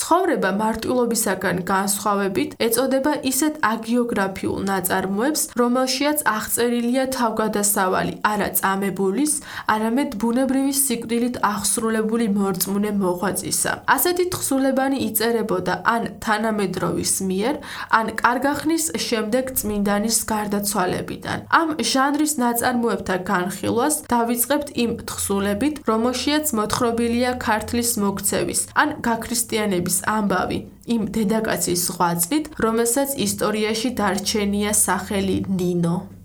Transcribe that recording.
ცხოვრება მარტვილობისაგან განსხვავებით ეწოდება ისეთ აგიოგრაფიულ ნაწარმოებს, რომელშიაც აღწერილია თავგადასავალი არა წამებულის, არამედ ბუნებრივი სიკვდილით აღსრულებული მორწმუნე მოღვაწისა. ასეთი თხზულებანი იწერებოდა ან თანამედროვის მიერ, ან კარგახნის შემდეგ წმინდანის გარდაცვალებიდან. ამ ჟანრის ნაწარმოებთა განხილვას დავიწყებთ იმ თხზულებით, რომელშიაც მოთხრობილია ქართლის მოქცევის ან გაქრისტიანების ამბავი, იმ დედაკაცის ღვაწლით, რომელსაც ისტორიაში დარჩენია სახელი ნინო.